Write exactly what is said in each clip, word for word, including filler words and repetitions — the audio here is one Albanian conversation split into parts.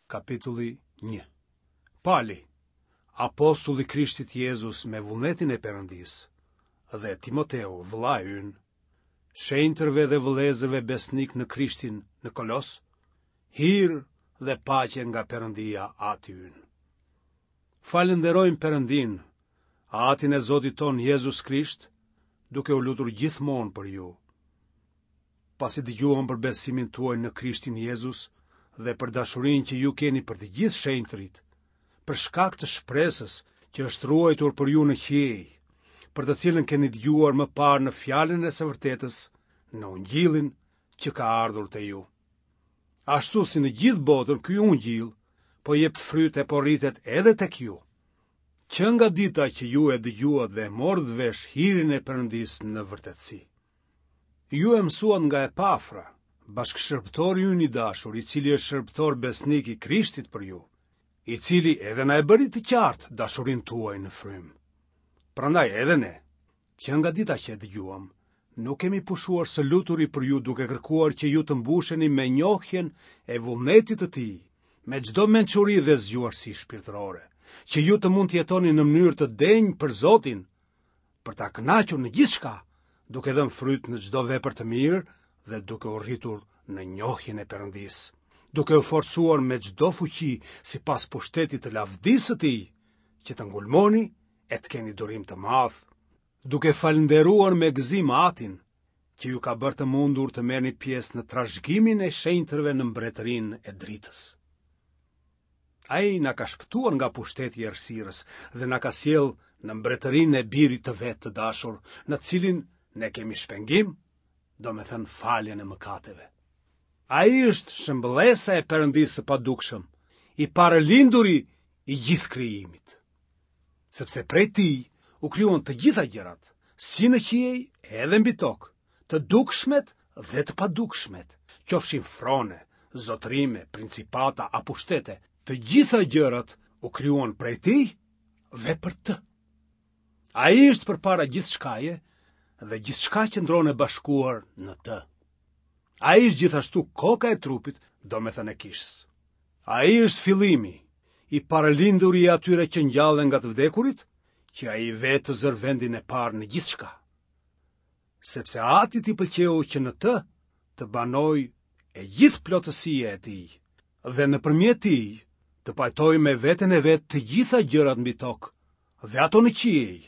Kapitulli një. Pali, apostull i Krishtit Jezus me vullnetin e Perëndisë, dhe Timoteu, vëllai ynë, shenjtërve dhe vëllezërve besnikë në Krishtin në Kolos, hir dhe paqe nga Perëndia Ati ynë. Falënderojmë Perëndinë, Atin e Zotit tonë Jezus Krisht, duke u lutur gjithmonë për ju. Pasi dëgjuam për besimin tuaj në Krishtin Jezus dhe për dashurinë që ju keni për të gjithë shenjtërit, për shkak të shpresës që është ruajtur për ju në qiej, për të cilën keni dëgjuar më parë në fjalën e së vërtetës, në ungjillin që ka ardhur te ju. Ashtu si në gjithë botën ky ungjill po jep fryt e po rritet edhe tek ju. Që nga dita që ju e dëgjuat dhe e morët vesh hirin e Perëndisë në vërtetësi. Ju e mësuat nga Epafra, bashkëshërbëtori ynë i dashur, i cili është shërbëtor besnik i Krishtit për ju, i cili edhe na e bëri të qartë dashurinë tuaj në frymë. Prandaj edhe ne, që nga dita që e dëgjuam, nuk kemi pushuar së luturi për ju duke kërkuar që ju të mbusheni me njohjen e vullnetit të tij, me çdo mençuri dhe zgjuarsi shpirtërore, që ju të mund të jetoni në mënyrë të denjë për Zotin, për ta kënaqur në gjithçka, duke dhënë fryt në çdo vepër të mirë dhe duke u rritur në njohjen e Perëndisë, duke u forcuar me çdo fuqi sipas pushtetit të lavdisë së tij, që të ngulmoni e të keni durim të madh, duke falënderuar me gëzim Atin, që ju ka bërë të mundur të merrni pjesë në trashëgimin e shenjtërve në mbretërinë e dritës. Ai na ka shpëtuar nga pushteti i errësirës dhe na ka sjellë në mbretërinë e birit të vet të dashur, në të cilin ne kemi shpengim, domethënë faljen e mëkateve. Ai është shëmbëllesa e Perëndisë së padukshëm, i parëlinduri i gjithë krijimit. Sepse prej tij u krijuan të gjitha gjërat, si në qiej edhe mbi tokë, të dukshmet dhe të padukshmet, qofshin frone, zotërime, principata a pushtete, të gjitha gjërat u krijuan prej tij dhe për të. Ai është përpara gjithçkaje dhe gjithçka qëndron e bashkuar në të. Ai është gjithashtu koka e trupit, domethënë e kishës. Ai është fillimi, i parëlinduri i atyre që ngjallen nga të vdekurit, që ai vetë të zërë vendin e parë në gjithçka. Sepse Atit i pëlqeu që në të të banojë e gjithë plotësia e tij, dhe nëpërmjet tij të pajtojë me veten e vet të gjitha gjërat mbi tokë dhe ato në qiej,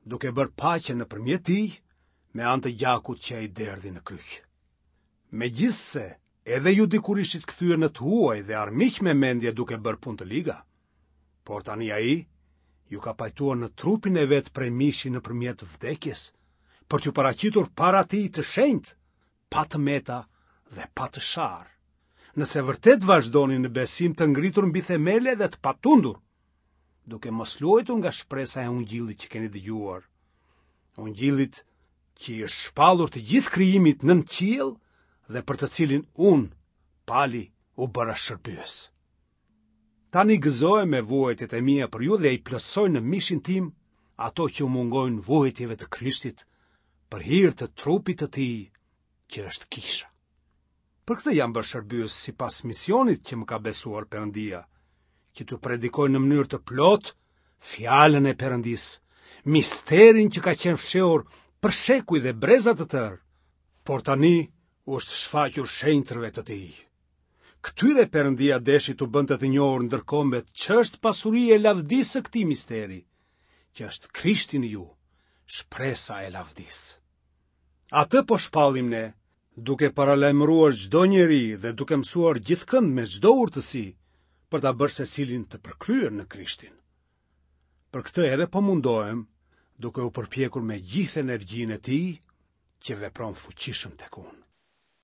duke bërë paqe nëpërmjet tij me anë të gjakut që ai derdhi në kryq. Megjithëse edhe ju dikur ishit kthyer në të huaj dhe armiq me mendje duke bërë punë të liga, por tani ai ju ka pajtuar në trupin e vet prej mishi nëpërmjet vdekjes, për t'ju paraqitur para tij të shenjtë, pa të meta dhe pa të sharë. Nëse vërtet vazhdoni në besim të ngritur mbi themele dhe të patundur, duke mos luajtur nga shpresa e ungjillit që keni dëgjuar, ungjillit që i është shpallur të gjithë krijimit nën qiell dhe për të cilin unë, Pali, u bëra shërbyes. Tani gëzohem me vuajtjet e mia për ju dhe i plotësoj në mishin tim ato që u mungojnë vuajtjeve të Krishtit për hir të trupit të tij, që është kisha. Për këtë jam bërë shërbyes sipas misionit që më ka besuar Perëndia, që t'ju predikoj në mënyrë të plotë fjalën e Perëndisë, misterin që ka qenë fshehur për shekuj dhe breza të tërë, por tani u është shfaqur shenjtërve të tij. Këtyre Perëndia deshi t'u bënte të njohur ndër kombet ç'është pasuria e lavdisë së këtij misteri, që është Krishti në ju, shpresa e lavdisë. Atë po shpallim ne, duke paralajmëruar çdo njeri dhe duke mësuar gjithkënd me çdo urtësi, për ta bërë secilin të përkryer në Krishtin. Për këtë edhe po mundohem, duke u përpjekur me gjithë energjinë e tij, që vepron fuqishëm tek unë.